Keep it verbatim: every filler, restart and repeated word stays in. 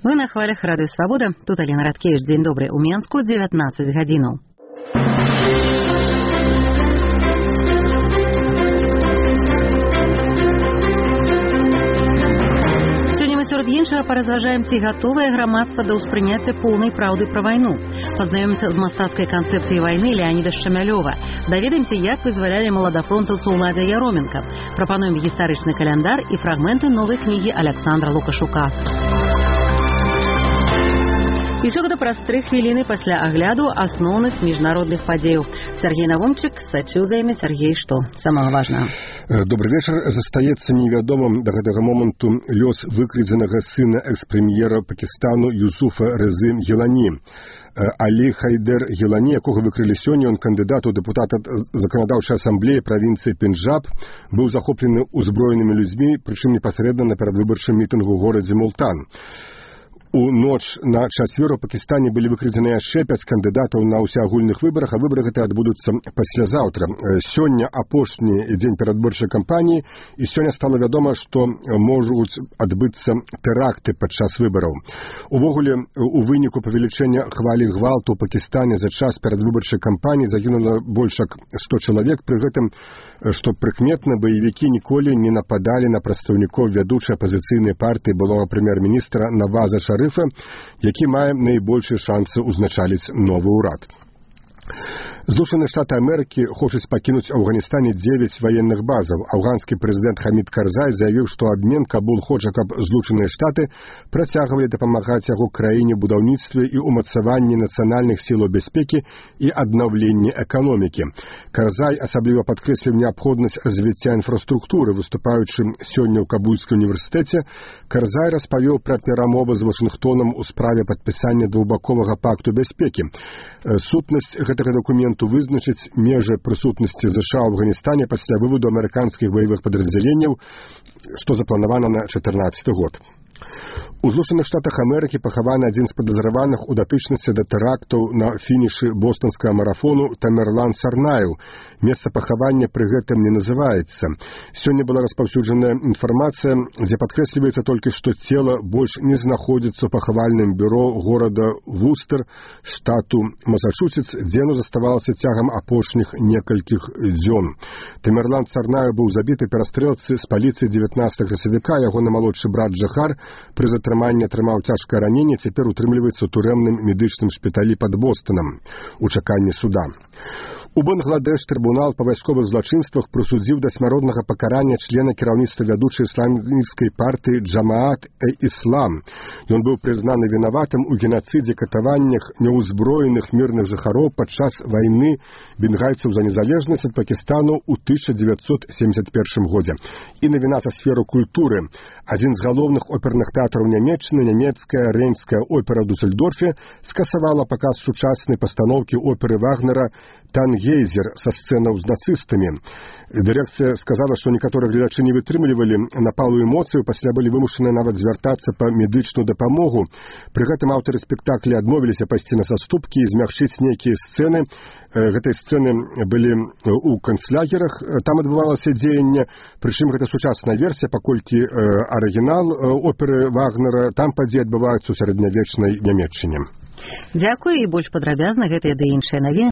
Вы на хвалях Радыё Свабода. Тут Алена Радкевич. Дзень добры. У Менску дзевятнаццаць гадзінаў. Сярод іншага паразважаем, ці гатовае грамадства да ўспрыняцця поўнай праўды пра вайну. Пазнаёмся з мастацкай канцэпцыяй вайны Леаніда Шчамялёва. Даведаемся, як вызвалялі маладафронтаўцаў Ладзя Яроменка. Прапануем гістарычны каляндар і фрагменты новай кнігі Аляксандра Лукашука. І ўсё гэта праз тры хвіліны пасля агляду асноўных міжнародных падзеяў. Сергей Навомчык сачыў за імі. Сергей, што самага важнага? Добры вечар. Застаецца невядомым да гэтага моманту лёс выкрадзенага сына экс-прэм'ера Пакістану Юсуфа Резы Гілані. Алі Хайдер Гілані, якога выкрылі сёння, ён кандыдат у дэпутата заканадаўчай асамблеі правінцыі Пенджаб, быў захоплены ўзброенымі людзьмі, прычым непасрэдна на перадвыбарчым мітынгу ў горадзе Мултан. У ноч на чацвер у Пакістане былі выкрадзены яшчэ пяць кандыдатаў на ўсеагульных выбарах, а выбары гэтыя адбудуцца паслязаўтра. Сёння апошні дзень перадвыбарчай кампаніі, і сёння стала вядома, што можуць адбыцца тэракты падчас выбараў. Увогуле, у выніку павелічэння хвалі гвалту ў Пакістане за час перадвыбарчай кампаніі загінула больш як сто чалавек. Пры гэтым, што прыкметна, баевікі ніколі не нападалі на прадстаўнікоў вядучай апазіцыйнай партыі былога прэм'ер-міністра Наваза Шарыфа, які мае найбольшыя шансы ўзначаліць новы ўрад. Злучаныя Штаты Амерыкі хочуць пакінуць у Афганістане дзевяць ваенных базаў. Афганскі прэзідэнт Хамід Карзай заявіў, што абмен Кабул хоча, каб Злучаныя Штаты працягвалі дапамагаць яго краіне ў будаўніцтве і ўмацаванні нацыянальных сілаў бяспекі і аднаўленні эканомікі. Карзай асабліва падкрэсліў неабходнасць развіцця інфраструктуры. Выступаючы сёння ў Кабульскім універсітэце, Карзай распавёў пра перамовы з Вашынгтонам у справе падпісання двухбаковага пакту бяспекі. Сутнасць гэтага дакументу вызначыць межы прысутнасці ЗША ў Афганістане пасля выводу амерыканскіх баявых падраздзяленняў, што запланавана на чатырнаццаты год. У Злучаных Штатах Амерыкі пахаваны адзін з падазраваных у датычнасці да тэрактаў на фінішы бостанскага марафону Тамерлан Сарнайл. Месца пахавання пры гэтым не называецца. Сёння была распаўсюджаная інфармацыя, дзе падкрэсліваецца толькі, што цела больш не знаходзіцца ў пахавальным бюро горада Вустер, штату Масачусетс, дзе оно заставалася цягам апошніх некалькіх дзён. Тамерлан Сарнайл быў забіты перастрэлцы з паліцыі дзевятнаццатага красавіка. Ягоны малодшы брат Джахар пры затрыманні атрымаў цяжкае раненне, цяпер утрымліваецца ў турэмным медычным шпіталі пад Бостанам у чаканні суда. У Бангладеш трыбунал па вайсковых злачынствах прысудзіў да смяротнага пакарання члена кіраўніцтва вядучай ісламісцкай партыі Джамаат-э-Іслам. Ён быў прызнаны вінаватым у генацыдзе, катаваннях няўзброеных мірных жыхароў падчас вайны бенгальцаў за незалежнасць ад Пакістану ў тысяча дзевяцьсот семдзесят першым годзе. І навіна са сферы культуры. Адзін з галоўных оперных тэатраў Нямецчыны, нямецкая Рейнская опера ў Дусельдорфе, скасавала паказ сучаснай пастаноўкі оперы Вагнера «Тангейзер» са сцэнаў з нацыстамі. Дырэкцыя сказала, што некаторыя гледачы не вытрымлівалі напалу эмоцыяў, пасля былі вымушаны нават звяртацца па медычную дапамогу. Пры гэтым аўтары спектакля адмовіліся пайсці на саступкі і змягчыць нейкія сцэны. Гэтыя сцэны былі ў канцлагерах, там адбывалася дзеянне, прычым гэта сучасная версія, паколькі арыгінал оперы Вагнера, там падзеі адбываюцца ў сярэднявечнай Нямецчыне. Дзякуй, і больш падрабязна гэтыя ды іншыя навіны